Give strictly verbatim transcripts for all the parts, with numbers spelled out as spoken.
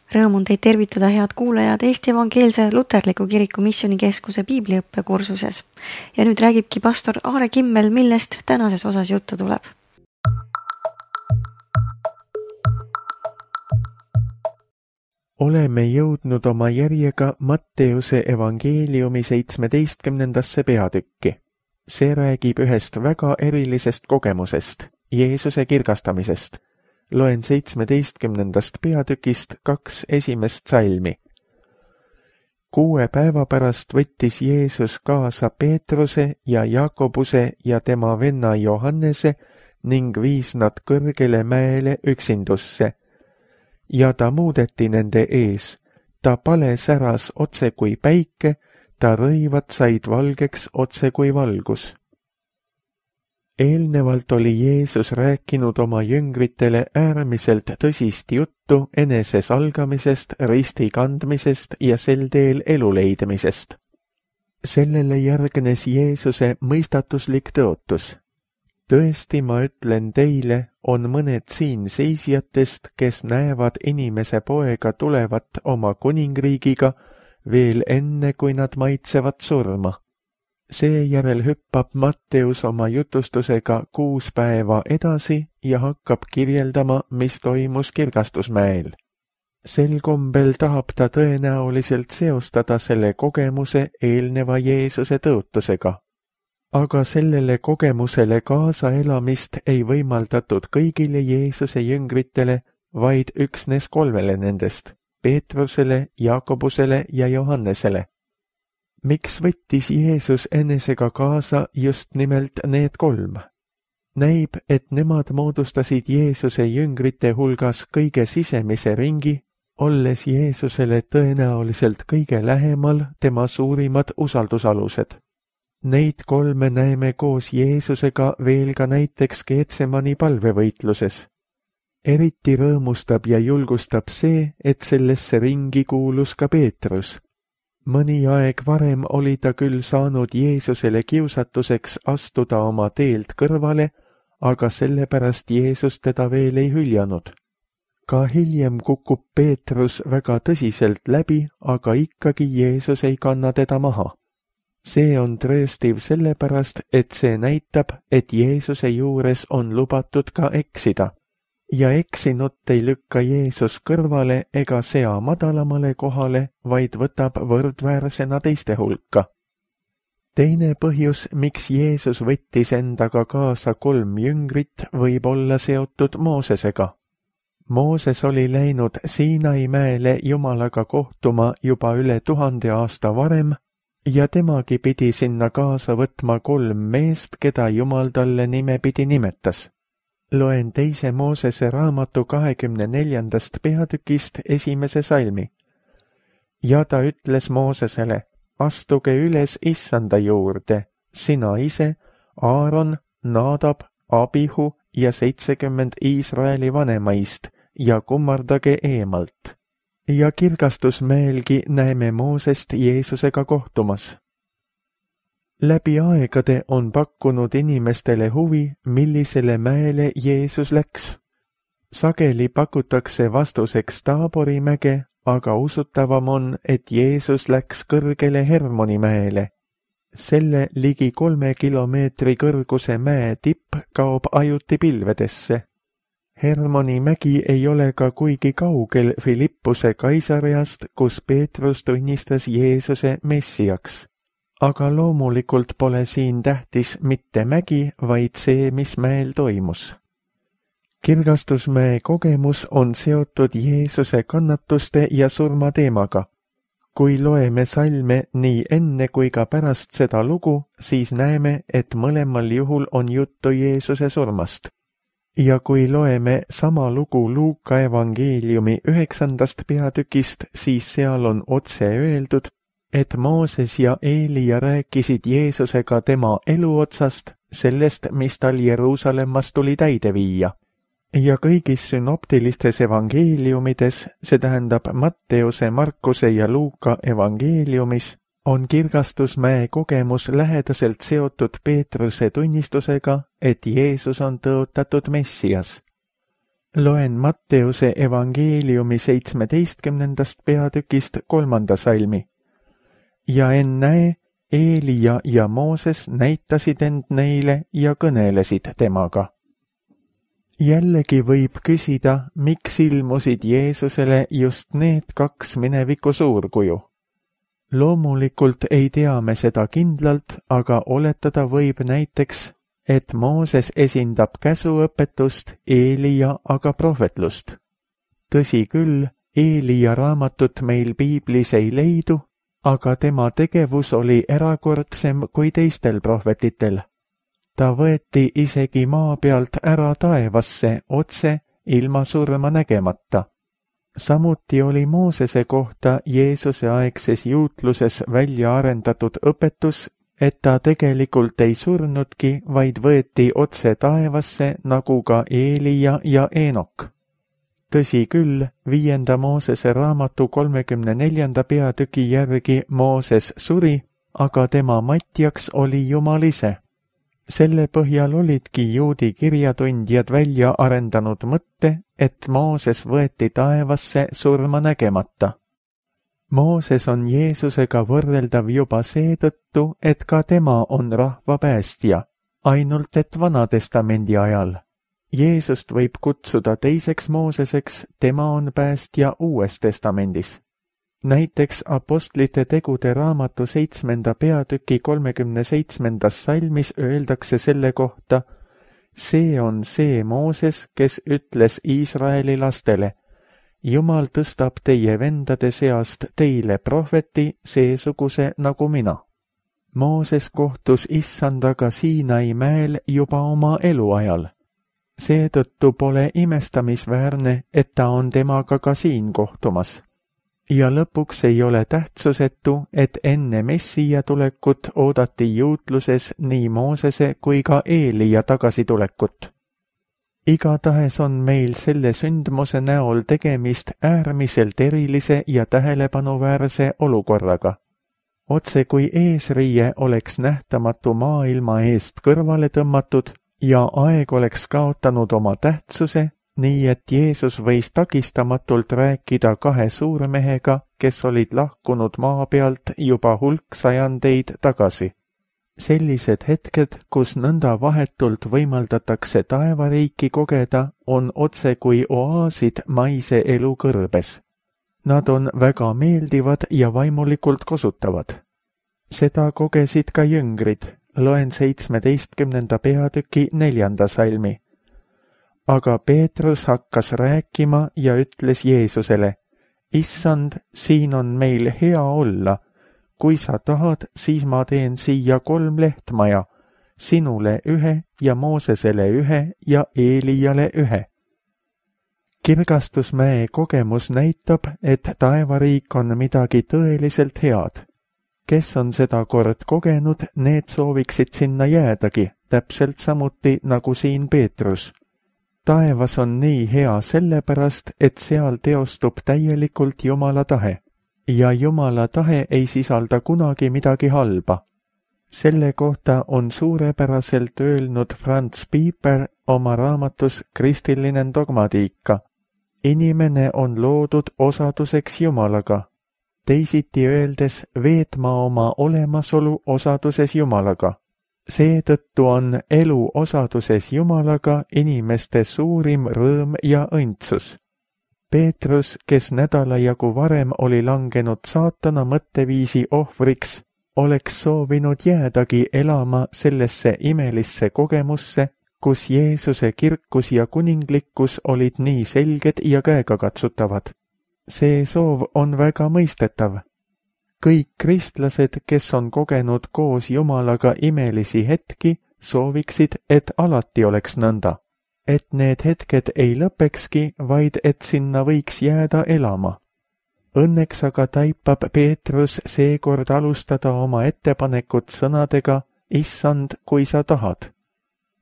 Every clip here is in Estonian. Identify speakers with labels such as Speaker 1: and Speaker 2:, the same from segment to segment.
Speaker 1: Rõõm on teid tervitada, head kuulajad, Eesti Evangeelse Luterliku Kiriku Missioonikeskuse piibliõppekursuses. Ja nüüd räägibki pastor Aare Kimmel, millest tänases osas juttu tuleb.
Speaker 2: Oleme jõudnud oma järjega Matteuse evangeeliumi seitsmeteistkümnendasse peatükki. See räägib ühest väga erilisest kogemusest, Jeesuse kirgastamisest. Loen seitsmeteistkümnendast peatükist kaks esimest salmi. Kuue päeva pärast võttis Jeesus kaasa Peetruse ja Jakobuse ja tema venna Johannese ning viis nad kõrgele mäele üksindusse. Ja ta muudeti nende ees. Ta pale säras otse kui päike, ta rõivad said valgeks otse kui valgus. Eelnevalt oli Jeesus rääkinud oma jüngritele äärmiselt tõsist juttu enese salgamisest, risti kandmisest ja sel teel elu leidmisest. Sellele järgnes Jeesuse mõistatuslik tõotus. Tõesti, ma ütlen teile, on mõned siin seisjatest, kes näevad inimese poega tulevat oma kuningriigiga veel enne, kui nad maitsevad surma. Seejärel hüppab Matteus oma jutustusega kuus päeva edasi ja hakkab kirjeldama, mis toimus kirgastusmäel. Sel kombel tahab ta tõenäoliselt seostada selle kogemuse eelneva Jeesuse tõotusega. Aga sellele kogemusele kaasaelamist ei võimaldatud kõigile Jeesuse jüngritele, vaid üksnes kolmele nendest, Peetrusele, Jakobusele ja Johannesele. Miks võttis Jeesus enesega kaasa just nimelt need kolm? Näib, et nemad moodustasid Jeesuse jüngrite hulgas kõige sisemise ringi, olles Jeesusele tõenäoliselt kõige lähemal tema suurimad usaldusalused. Neid kolme näeme koos Jeesusega veel ka näiteks Getsemani palvevõitluses. Eriti rõõmustab ja julgustab see, et sellesse ringi kuulus ka Peetrus. Mõni aeg varem oli ta küll saanud Jeesusele kiusatuseks astuda oma teelt kõrvale, aga sellepärast Jeesus teda veel ei hüljanud. Ka hiljem kukub Peetrus väga tõsiselt läbi, aga ikkagi Jeesus ei kanna teda maha. See on trööstiv sellepärast, et see näitab, et Jeesuse juures on lubatud ka eksida. Ja eksinut ei lükka Jeesus kõrvale ega sea madalamale kohale, vaid võtab võrdväärsena teiste hulka. Teine põhjus, miks Jeesus võttis endaga kaasa kolm jüngrit, võib olla seotud Moosesega. Mooses oli läinud Siinai mäele Jumalaga kohtuma juba üle tuhande aasta varem ja temagi pidi sinna kaasa võtma kolm meest, keda Jumal talle nimepidi nimetas. Loen teise Moosese raamatu kahekümne neljandast peatükist esimese salmi. Ja ta ütles Moosesele, astuge üles Issanda juurde, sina ise, Aaron, Nadab, Abihu ja seitsekümmend Iisraeli vanemaist ja kummardage eemalt. Ja kirgastusmäelgi näeme Moosest Jeesusega kohtumas. Läbi aegade on pakkunud inimestele huvi, millisele mäele Jeesus läks. Sageli pakutakse vastuseks Taabori mäge, aga usutavam on, et Jeesus läks kõrgele Hermoni mäele. Selle ligi kolme kilomeetri kõrguse mäe tipp kaob ajuti pilvedesse. Hermoni mägi ei ole ka kuigi kaugel Filippuse Kaisariast, kus Peetrus tunnistas Jeesuse messiaks. Aga loomulikult pole siin tähtis mitte mägi, vaid see, mis mäel toimus. Kirgastusmäe kogemus on seotud Jeesuse kannatuste ja surma teemaga. Kui loeme salme nii enne kui ka pärast seda lugu, siis näeme, et mõlemal juhul on juttu Jeesuse surmast. Ja kui loeme sama lugu Luuka evangeeliumi üheksandast peatükist, siis seal on otse öeldud, et Mooses ja Eelia rääkisid Jeesusega tema eluotsast, sellest, mis tal Jeruusalemmas tuli täide viia. Ja kõigis synoptilistes evangeeliumides, see tähendab Matteuse, Markuse ja Luuka evangeeliumis, on kirgastusmäe kogemus lähedaselt seotud Peetruse tunnistusega, et Jeesus on tõotatud Messias. Loen Matteuse evangeeliumi seitsmeteistkümnendast peatükist kolmanda salmi. Ja ennäe, Eelia ja Mooses näitasid end neile ja kõnelesid temaga. Jällegi võib küsida, miks ilmusid Jeesusele just need kaks mineviku suurkuju. Loomulikult ei tea me seda kindlalt, aga oletada võib näiteks, et Mooses esindab käsuõpetust, Eelia aga prohvetlust. Tõsi küll, Eelia raamatut meil piiblis ei leidu, aga tema tegevus oli erakordsem kui teistel prohvetitel. Ta võeti isegi maa pealt ära taevasse otse ilma surma nägemata. Samuti oli Moosese kohta Jeesuse aegses juutluses välja arendatud õpetus, et ta tegelikult ei surnudki, vaid võeti otse taevasse nagu ka Eelia ja Eenok. Tõsi küll, viienda Moosese raamatu kolmekümne neljanda peatüki järgi Mooses suri, aga tema matjaks oli Jumal ise. Selle põhjal olidki juudi kirjatundjad välja arendanud mõtte, et Mooses võeti taevasse surma nägemata. Mooses on Jeesusega võrreldav juba seetõttu, et ka tema on rahva päästja, ainult et Vanatestamendi ajal. Jeesust võib kutsuda teiseks Mooseseks, tema on päästja Uues Testamendis. Näiteks Apostlite tegude raamatu seitsmenda peatüki kolmekümne seitsmendas salmis öeldakse selle kohta, see on see Mooses, kes ütles Iisraeli lastele, Jumal tõstab teie vendade seast teile prohveti seesuguse nagu mina. Mooses kohtus Issandaga Siinai mäel juba oma eluajal. Seetõttu pole imestamisväärne, et ta on temaga ka siin kohtumas. Ja lõpuks ei ole tähtsusetu, et enne Messija tulekut oodati juutluses nii Moosese kui ka Eelia tagasitulekut. Igatahes on meil selle sündmuse näol tegemist äärmiselt erilise ja tähelepanuväärse olukorraga. Otse kui eesriie oleks nähtamatu maailma eest kõrvale tõmmatud ja aeg oleks kaotanud oma tähtsuse, nii et Jeesus võis takistamatult rääkida kahe suurmehega, kes olid lahkunud maa pealt juba hulk sajandeid tagasi. Sellised hetked, kus nõnda vahetult võimaldatakse taevariiki kogeda, on otse kui oaasid maise elu kõrbes. Nad on väga meeldivad ja vaimulikult kosutavad. Seda kogesid ka jüngrid, loen seitsmeteistkümnenda peatüki neljanda salmi. Aga Peetrus hakkas rääkima ja ütles Jeesusele, Issand, siin on meil hea olla. Kui sa tahad, siis ma teen siia kolm lehtmaja, sinule ühe ja Moosesele ühe ja Eeliale ühe. Kirgastusmäe kogemus näitab, et taevariik on midagi tõeliselt head. Kes on seda kord kogenud, need sooviksid sinna jäädagi, täpselt samuti nagu siin Peetrus. Taevas on nii hea sellepärast, et seal teostub täielikult Jumala tahe. Ja Jumala tahe ei sisalda kunagi midagi halba. Selle kohta on suurepäraselt öelnud Franz Pieper oma raamatus Kristiline dogmatiika. Inimene on loodud osaduseks Jumalaga. Teisiti öeldes veetma oma olemasolu osaduses Jumalaga. Seetõttu on elu osaduses Jumalaga inimeste suurim rõõm ja õndsus. Peetrus, kes nädala jagu varem oli langenud saatana mõtteviisi ohvriks, oleks soovinud jäädagi elama sellesse imelisse kogemusse, kus Jeesuse kirkus ja kuninglikkus olid nii selged ja käegakatsutavad. See soov on väga mõistetav. Kõik kristlased, kes on kogenud koos Jumalaga imelisi hetki, sooviksid, et alati oleks nõnda. Et need hetked ei lõpekski, vaid et sinna võiks jääda elama. Õnneks aga taipab Peetrus seekord alustada oma ettepanekut sõnadega Issand, kui sa tahad.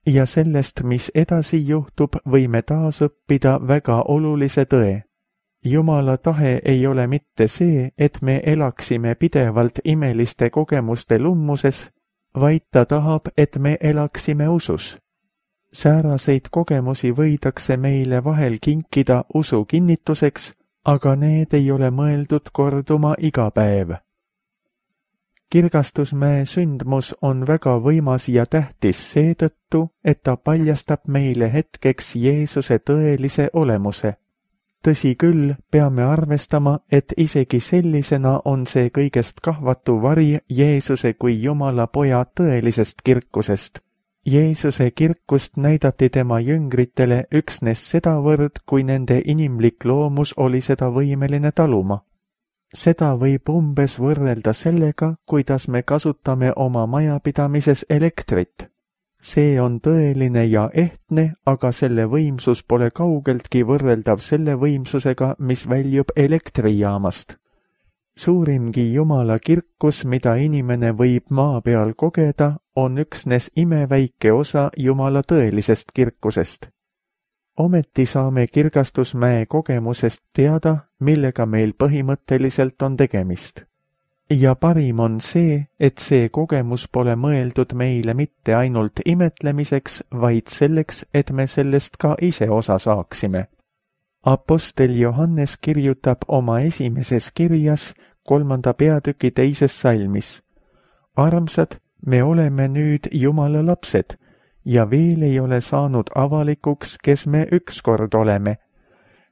Speaker 2: Ja sellest, mis edasi juhtub, võime taas õppida väga olulise tõe. Jumala tahe ei ole mitte see, et me elaksime pidevalt imeliste kogemuste lummuses, vaid ta tahab, et me elaksime usus. Sääraseid kogemusi võidakse meile vahel kinkida usu kinnituseks, aga need ei ole mõeldud korduma iga päev. Kirgastusmäe sündmus on väga võimas ja tähtis seetõttu, et ta paljastab meile hetkeks Jeesuse tõelise olemuse. Tõsi küll, peame arvestama, et isegi sellisena on see kõigest kahvatu vari Jeesuse kui Jumala poja tõelisest kirkusest. Jeesuse kirkust näidati tema jüngritele üksnes sedavõrd, kui nende inimlik loomus oli seda võimeline taluma. Seda võib umbes võrrelda sellega, kuidas me kasutame oma majapidamises elektrit. See on tõeline ja ehtne, aga selle võimsus pole kaugeltki võrreldav selle võimsusega, mis väljub elektrijaamast. Suurimgi Jumala kirkus, mida inimene võib maa peal kogeda, on üksnes imeväike osa Jumala tõelisest kirkusest. Ometi saame Kirgastusmäe kogemusest teada, millega meil põhimõtteliselt on tegemist. Ja parim on see, et see kogemus pole mõeldud meile mitte ainult imetlemiseks, vaid selleks, et me sellest ka ise osa saaksime. Apostel Johannes kirjutab oma esimeses kirjas kolmanda peatüki teises salmis. Armsad, me oleme nüüd Jumala lapsed, ja veel ei ole saanud avalikuks, kes me ükskord oleme.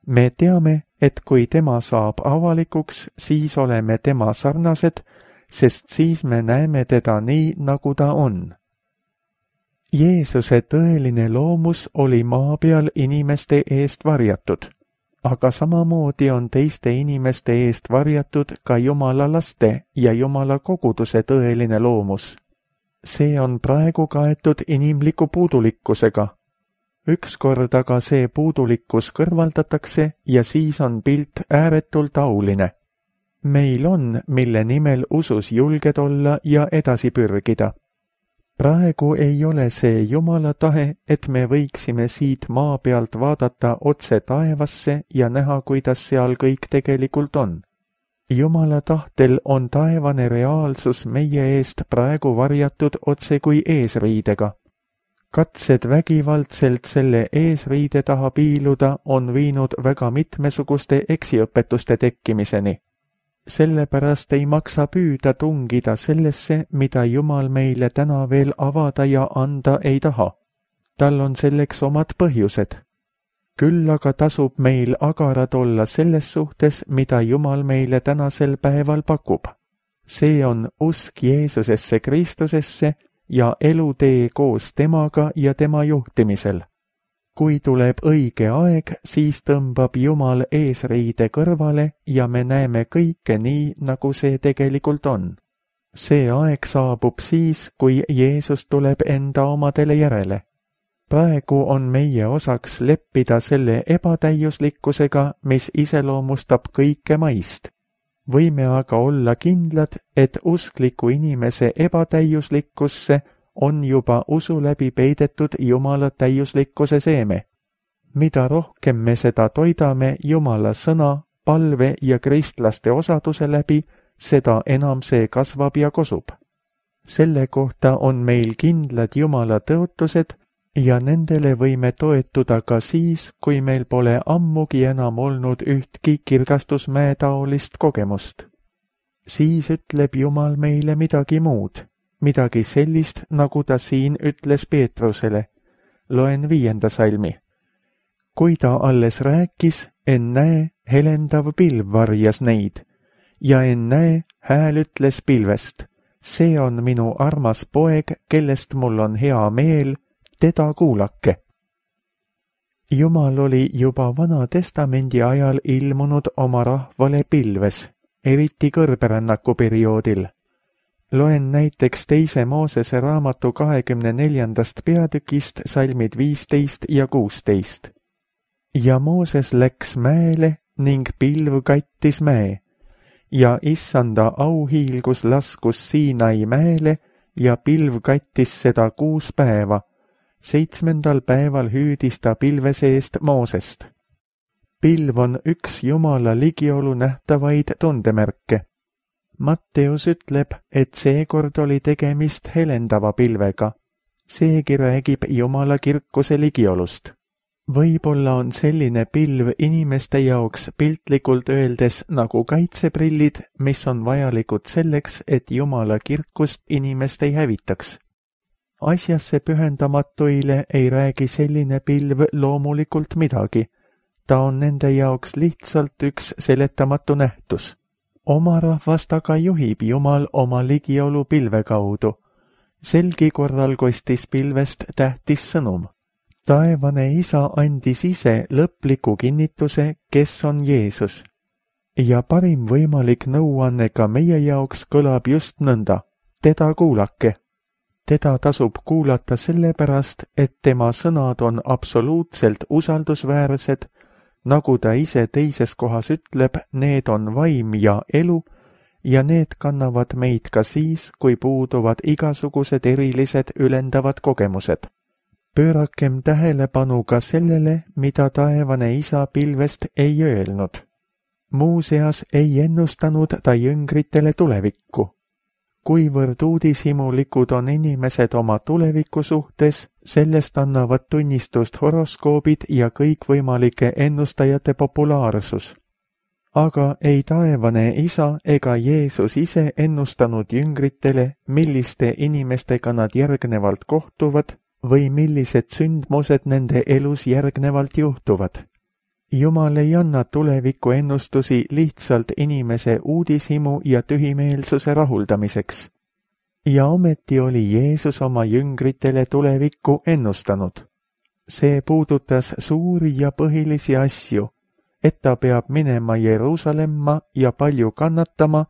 Speaker 2: Me teame, et kui tema saab avalikuks, siis oleme tema sarnased, sest siis me näeme teda nii, nagu ta on. Jeesuse tõeline loomus oli maa peal inimeste eest varjatud, aga samamoodi on teiste inimeste eest varjatud ka Jumala laste ja Jumala koguduse tõeline loomus. See on praegu kaetud inimliku puudulikkusega. Ükskord aga see puudulikkus kõrvaldatakse ja siis on pilt ääretult auline. Meil on, mille nimel usus julged olla ja edasi pürgida. Praegu ei ole see Jumala tahe, et me võiksime siit maa pealt vaadata otse taevasse ja näha, kuidas seal kõik tegelikult on. Jumala tahtel on taevane reaalsus meie eest praegu varjatud otse kui eesriidega. Katsed vägivaldselt selle eesriide taha piiluda on viinud väga mitmesuguste eksiõpetuste tekkimiseni. Sellepärast ei maksa püüda tungida sellesse, mida Jumal meile täna veel avada ja anda ei taha. Tal on selleks omad põhjused. Küll aga tasub meil agarad olla selles suhtes, mida Jumal meile tänasel päeval pakub. See on usk Jeesusesse Kristusesse ja elutee koos temaga ja tema juhtimisel. Kui tuleb õige aeg, siis tõmbab Jumal eesriide kõrvale ja me näeme kõike nii, nagu see tegelikult on. See aeg saabub siis, kui Jeesus tuleb enda omadele järele. Praegu on meie osaks leppida selle ebatäiuslikkusega, mis iseloomustab kõike maist. Võime aga olla kindlad, et uskliku inimese ebatäiuslikkusse on juba usu läbi peidetud Jumala täiuslikkuse seeme. Mida rohkem me seda toidame Jumala sõna, palve ja kristlaste osaduse läbi, seda enam see kasvab ja kosub. Selle kohta on meil kindlad Jumala tõotused, ja nendele võime toetuda ka siis, kui meil pole ammugi enam olnud ühtki Kirgastusmäe taolist kogemust. Siis ütleb Jumal meile midagi muud, midagi sellist, nagu ta siin ütles Peetrusele. Loen viienda salmi. Kui ta alles rääkis, ennäe, helendav pilv varjas neid, ja ennäe, hääl ütles pilvest. See on minu armas poeg, kellest mul on hea meel, teda kuulake. Jumal oli juba Vana Testamendi ajal ilmunud oma rahvale pilves, eriti kõrberännaku perioodil. Loen näiteks teise Moosese raamatu kahekümne neljandast peatükist salmid viisteist ja kuusteist. Ja Mooses läks mäele ning pilv kattis mäe, ja issanda auhiilgus laskus Siinai mäele ja pilv kattis seda kuus päeva. Seitsmendal päeval hüüdis ta pilve seest Moosest. Pilv on üks Jumala ligiolu nähtavaid tundemärke. Matteus ütleb, et seekord oli tegemist helendava pilvega. seegi räägib Jumala kirkuse ligiolust. Võib-olla on selline pilv inimeste jaoks piltlikult öeldes nagu kaitseprillid, mis on vajalikud selleks, et Jumala kirkust inimest ei hävitaks. Asjasse pühendamatuile ei räägi selline pilv loomulikult midagi. Ta on nende jaoks lihtsalt üks seletamatu nähtus. Oma rahvast aga juhib Jumal oma ligiolu pilve kaudu. Selgi korral kostis pilvest tähtis sõnum. Taevane Isa andis ise lõpliku kinnituse, kes on Jeesus. Ja parim võimalik nõuanne ka meie jaoks kõlab just nõnda. Teda kuulake. Teda tasub kuulata sellepärast, et tema sõnad on absoluutselt usaldusväärsed, nagu ta ise teises kohas ütleb, need on vaim ja elu ja need kannavad meid ka siis, kui puuduvad igasugused erilised ülendavad kogemused. Pöörakem tähelepanu ka sellele, mida taevane Isa pilvest ei öelnud. Muuseas ei ennustanud ta jüngritele tulevikku. Kuivõrd uudishimulikud on inimesed oma tuleviku suhtes, sellest annavad tunnistust horoskoobid ja kõikvõimalike ennustajate populaarsus. Aga ei taevane Isa ega Jeesus ise ennustanud jüngritele, milliste inimestega nad järgnevalt kohtuvad või millised sündmused nende elus järgnevalt juhtuvad. Jumal ei anna tuleviku ennustusi lihtsalt inimese uudishimu ja tühimeelsuse rahuldamiseks. Ja ometi oli Jeesus oma jüngritele tulevikku ennustanud. See puudutas suuri ja põhilisi asju, et ta peab minema Jeruusalemma ja palju kannatama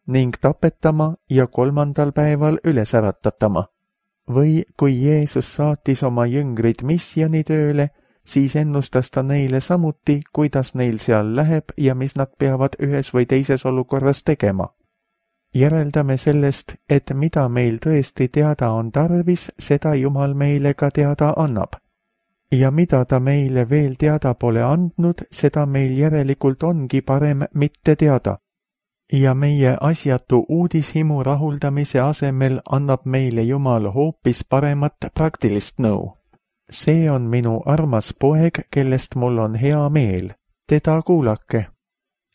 Speaker 2: ning tapetama ja kolmandal päeval üles äratatama. Või kui Jeesus saatis oma jüngrid missioonitööle, siis ennustas ta neile samuti, kuidas neil seal läheb ja mis nad peavad ühes või teises olukorras tegema. Järeldame sellest, et mida meil tõesti teada on tarvis, seda Jumal meile ka teada annab. Ja mida ta meile veel teada pole andnud, seda meil järelikult ongi parem mitte teada. Ja meie asjatu uudishimu rahuldamise asemel annab meile Jumal hoopis paremat praktilist nõu. See on minu armas poeg, kellest mul on hea meel. Teda kuulake.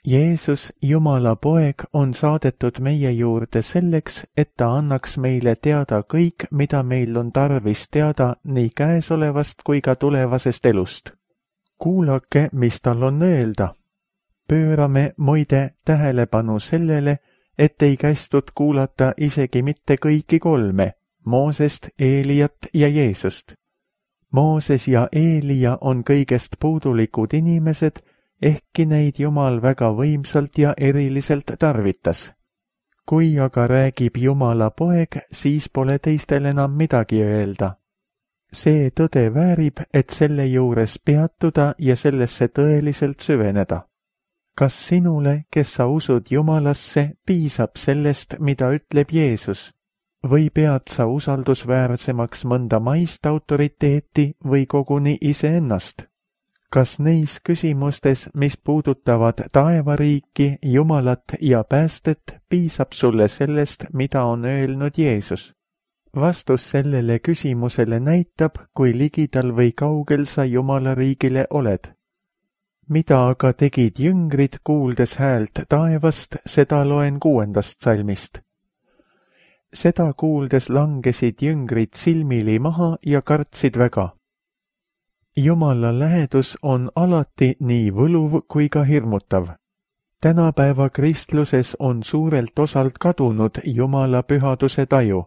Speaker 2: Jeesus, Jumala poeg, on saadetud meie juurde selleks, et ta annaks meile teada kõik, mida meil on tarvis teada nii käesolevast kui ka tulevasest elust. Kuulake, mis tal on öelda. Pöörame muide tähelepanu sellele, et ei kästud kuulata isegi mitte kõiki kolme, Moosest, Eeliat ja Jeesust. Mooses ja Eelia on kõigest puudulikud inimesed, ehkki neid Jumal väga võimsalt ja eriliselt tarvitas. Kui aga räägib Jumala poeg, siis pole teistel enam midagi öelda. See tõde väärib, et selle juures peatuda ja sellesse tõeliselt süveneda. Kas sinule, kes sa usud Jumalasse, piisab sellest, mida ütleb Jeesus? Või pead sa usaldusväärsemaks mõnda maist autoriteeti või koguni iseennast? Kas neis küsimustes, mis puudutavad taevariiki, Jumalat ja päästet, piisab sulle sellest, mida on öelnud Jeesus? Vastus sellele küsimusele näitab, kui ligidal või kaugel sa Jumala riigile oled. Mida aga tegid jüngrid, kuuldes häält taevast, seda loen kuuendast salmist. Seda kuuldes langesid jüngrid silmili maha ja kartsid väga. Jumala lähedus on alati nii võluv kui ka hirmutav. Tänapäeva kristluses on suurelt osalt kadunud Jumala pühaduse taju.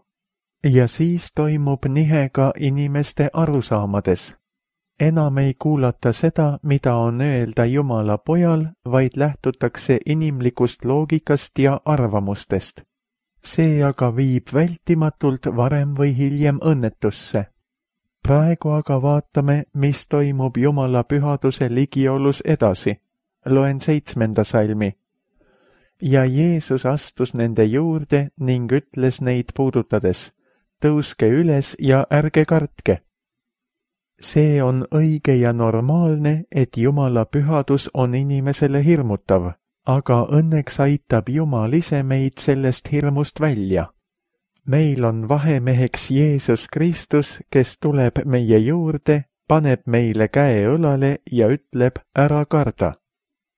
Speaker 2: Ja siis toimub nihe ka inimeste arusaamades. Enam ei kuulata seda, mida on öelda Jumala pojal, vaid lähtutakse inimlikust loogikast ja arvamustest. See aga viib vältimatult varem või hiljem õnnetusse. Praegu aga vaatame, mis toimub Jumala pühaduse ligiolus edasi. Loen seitsmenda salmi. Ja Jeesus astus nende juurde ning ütles neid puudutades, tõuske üles ja ärge kartke. See on õige ja normaalne, et Jumala pühadus on inimesele hirmutav, aga õnneks aitab Jumal ise meid sellest hirmust välja. meil on vahemeheks Jeesus Kristus, kes tuleb meie juurde, paneb meile käe õlale ja ütleb, ära karda.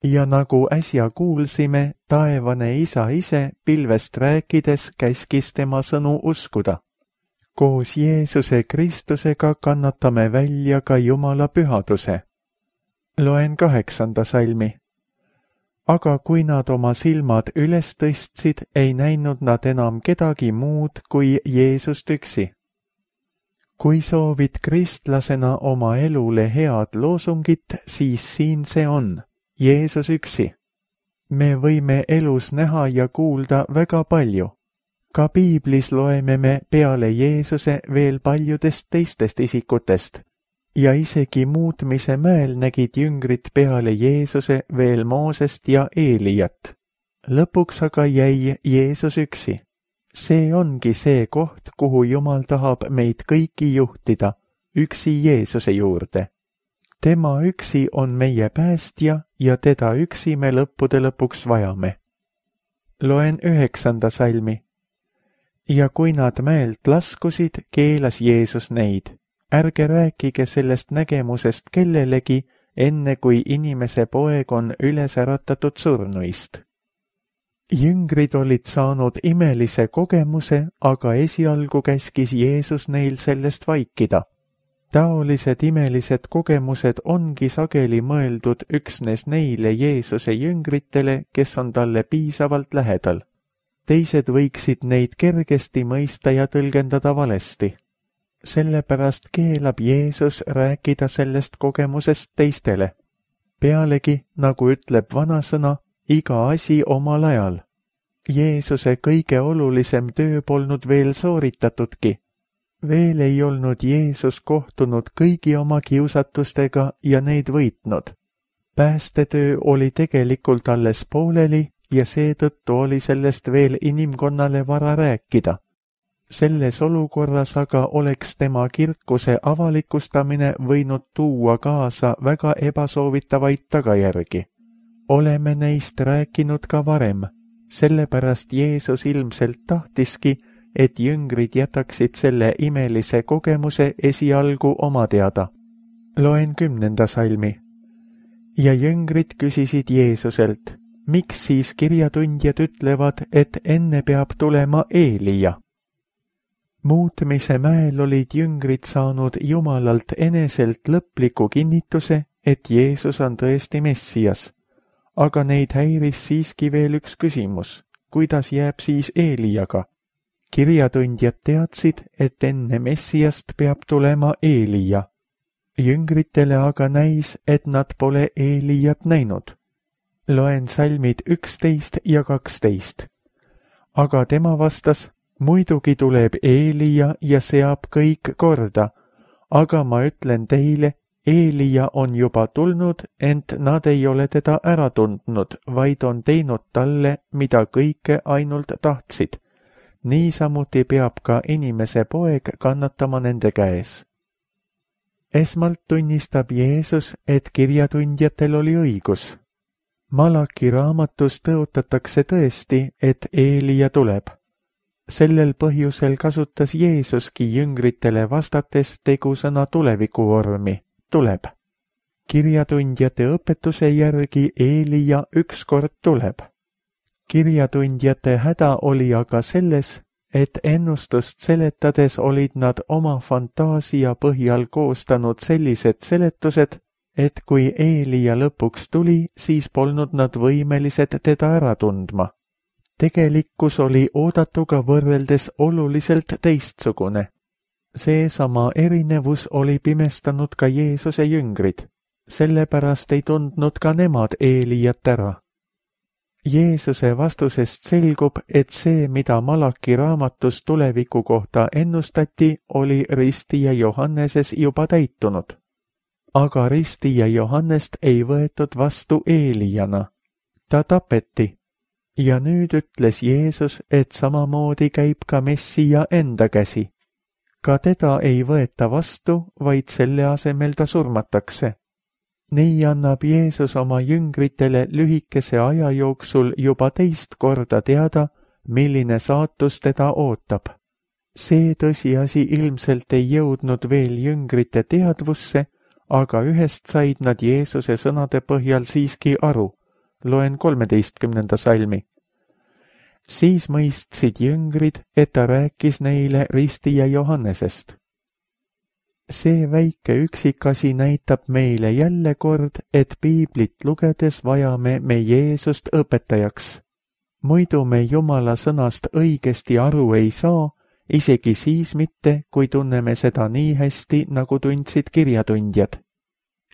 Speaker 2: Ja nagu äsja kuulsime, taevane Isa ise pilvest rääkides käskis tema sõnu uskuda. Koos Jeesuse Kristusega kannatame välja ka Jumala pühaduse. Loen kaheksanda salmi. Aga kui nad oma silmad üles tõstsid, ei näinud nad enam kedagi muud kui Jeesust üksi. Kui soovid kristlasena oma elule head loosungit, siis siin see on, Jeesus üksi. Me võime elus näha ja kuulda väga palju. Ka piiblis loeme me peale Jeesuse veel paljudest teistest isikutest. Ja isegi muutmise mäel nägid jüngrid peale Jeesuse veel Moosest ja Eelijat. Lõpuks aga jäi Jeesus üksi. See ongi see koht, kuhu Jumal tahab meid kõiki juhtida, üksi Jeesuse juurde. Tema üksi on meie päästja ja teda üksi me lõppude lõpuks vajame. Loen üheksanda salmi. Ja kui nad mäelt laskusid, keelas Jeesus neid. Ärge rääkige sellest nägemusest kellelegi, enne kui inimese poeg on üles äratatud surnuist. Jüngrid olid saanud imelise kogemuse, aga esialgu käskis Jeesus neil sellest vaikida. Taolised imelised kogemused ongi sageli mõeldud üksnes neile Jeesuse jüngritele, kes on talle piisavalt lähedal. Teised võiksid neid kergesti mõista ja tõlgendada valesti. Sellepärast keelab Jeesus rääkida sellest kogemusest teistele. Pealegi, nagu ütleb vanasõna, iga asi omal ajal. Jeesuse kõige olulisem töö polnud veel sooritatudki. Veel ei olnud Jeesus kohtunud kõigi oma kiusatustega ja neid võitnud. Päästetöö oli tegelikult alles pooleli ja seetõttu oli sellest veel inimkonnale vara rääkida. Selles olukorras aga oleks tema kirkuse avalikustamine võinud tuua kaasa väga ebasoovitavaid tagajärgi. Oleme neist rääkinud ka varem, sellepärast Jeesus ilmselt tahtiski, et jüngrid jätaksid selle imelise kogemuse esialgu oma teada. Loen kümnenda salmi. Ja jüngrid küsisid Jeesuselt, miks siis kirjatundjad ütlevad, et enne peab tulema Eelija? Muutmise mäel olid jüngrid saanud Jumalalt eneselt lõpliku kinnituse, et Jeesus on tõesti Messias. Aga neid häiris siiski veel üks küsimus, kuidas jääb siis Eelijaga? Kirjatundjad teadsid, et enne Messiast peab tulema Eelija. Jüngritele aga näis, et nad pole Eelijat näinud. Loen salmid üksteist ja kaksteist. Aga tema vastas, muidugi tuleb Eelija ja seab kõik korda, aga ma ütlen teile, Eelija on juba tulnud, ent nad ei ole teda ära tundnud, vaid on teinud talle, mida kõike ainult tahtsid. Niisamuti peab ka inimese poeg kannatama nende käes. Esmalt tunnistab Jeesus, et kirjatundjatel oli õigus. Malaki raamatus tõotatakse tõesti, et Eelija tuleb. Sellel põhjusel kasutas Jeesuski jüngritele vastates tegusõna tulevikuvormi, tuleb. Kirjatundjate õpetuse järgi Eelija ükskord tuleb. Kirjatundjate häda oli aga selles, et ennustust seletades olid nad oma fantaasia põhjal koostanud sellised seletused, et kui Eelija lõpuks tuli, siis polnud nad võimelised teda ära tundma. Tegelikkus oli oodatuga võrreldes oluliselt teistsugune. Seesama erinevus oli pimestanud ka Jeesuse jüngrid, sellepärast ei tundnud ka nemad Eelijat ära. Jeesuse vastusest selgub, et see, mida Malaki raamatus tuleviku kohta ennustati, oli ristija Johanneses juba täitunud. Aga ristija Johannest ei võetud vastu Eelijana. Ta tapeti. Ja nüüd ütles Jeesus, et samamoodi käib ka Messija enda käsi. Ka teda ei võeta vastu, vaid selle asemel ta surmatakse. Nii annab Jeesus oma jüngritele lühikese aja jooksul juba teist korda teada, milline saatus teda ootab. see tõsiasi ilmselt ei jõudnud veel jüngrite teadvusse, aga ühest said nad Jeesuse sõnade põhjal siiski aru. Loen kolmeteistkümnenda salmi. Siis mõistsid jüngrid, et ta rääkis neile ristija Johannesest. See väike üksikasi näitab meile jälle kord, et piiblit lugedes vajame me Jeesust õpetajaks. Muidu me Jumala sõnast õigesti aru ei saa, isegi siis mitte, kui tunneme seda nii hästi, nagu tundsid kirjatundjad.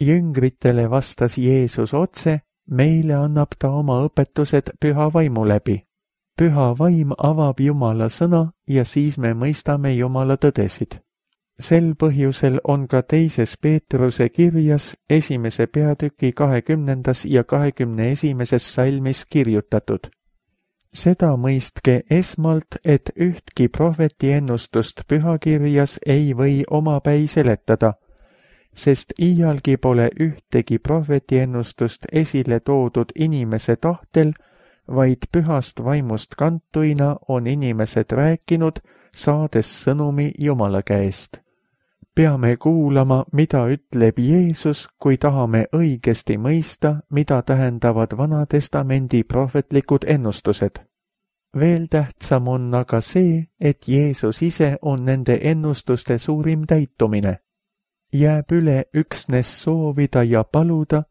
Speaker 2: Jüngritele vastas Jeesus otse, meile annab ta oma õpetused püha vaimu läbi. Püha vaim avab Jumala sõna ja siis me mõistame Jumala tõdesid. Sel põhjusel on ka teises Peetruse kirjas esimese peatüki kahekümnendas ja kahekümne esimeses salmis kirjutatud. Seda mõistke esmalt, et ühtki prohveti ennustust pühakirjas ei või omapäi seletada, sest iialgi pole ühtegi prohveti ennustust esile toodud inimese tahtel, vaid pühast vaimust kantuina on inimesed rääkinud, saades sõnumi Jumala käest. Peame kuulama, mida ütleb Jeesus, kui tahame õigesti mõista, mida tähendavad Vanatestamendi prohvetlikud ennustused. Veel tähtsam on aga see, et Jeesus ise on nende ennustuste suurim täitumine. Jääb üle üksnes soovida ja paluda,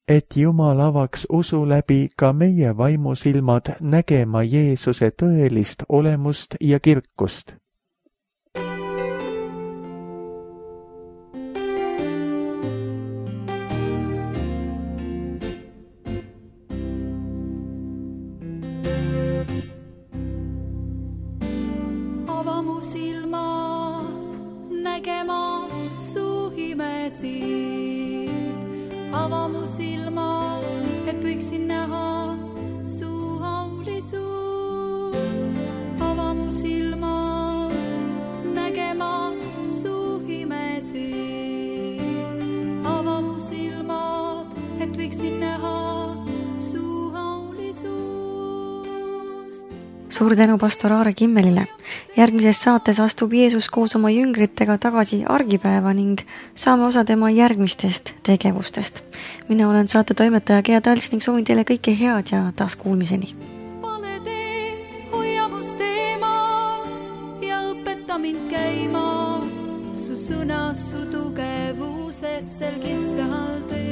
Speaker 2: et Jumal avaks usu läbi ka meie vaimusilmad nägema Jeesuse tõelist olemust ja kirkust.
Speaker 3: Ava mu silmad nägema su imesid. Ava mu silmad, et võiksin näha su aulisust. Ava mu silmad nägema su imesid. Ava mu silmad, et võiksin näha su aulisust.
Speaker 1: Suur tänu pastor Aare Kimmelile. Järgmises saates astub Jeesus koos oma jüngritega tagasi argipäeva ning saame osa tema järgmistest tegevustest. Mina olen saate toimetaja Gea Tals ning soovin teile kõike head ja taas kuulmiseni.
Speaker 3: Pane tee, hoia must eemal ja õpeta mind käima su sõnas, su tugevuses sel kitsal teel.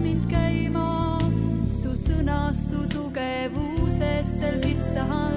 Speaker 3: Mind käima su sõnas, su tugevuses sel kitsal